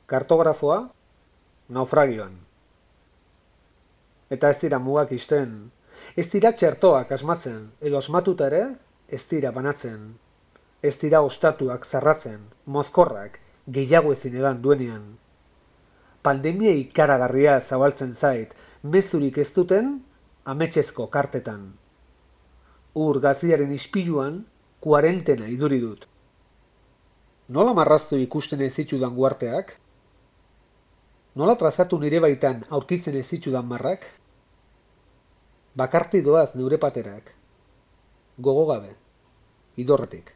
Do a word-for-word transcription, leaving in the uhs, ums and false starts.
Kartografoa, naufragioan. Eta ez dira mugak isten, ez dira txertoak asmatzen, edo asmatuta ere, ez dira banatzen. Ez dira ostatuak zarratzen, mozkorrak, gehiago ezin edan duenean. Pandemia ikaragarria zabaltzen zait, mezurik ez duten, ametsezko kartetan. Ur gaziaren ispiluan, kuarentena iduri dut. Nola marraztu ikusten ez zitudan guarteak? Nola trazatu nire baitan aurkitzen ez zitudan marrak? Bakarti doaz neure paterak. Gogo gabe, idorretik.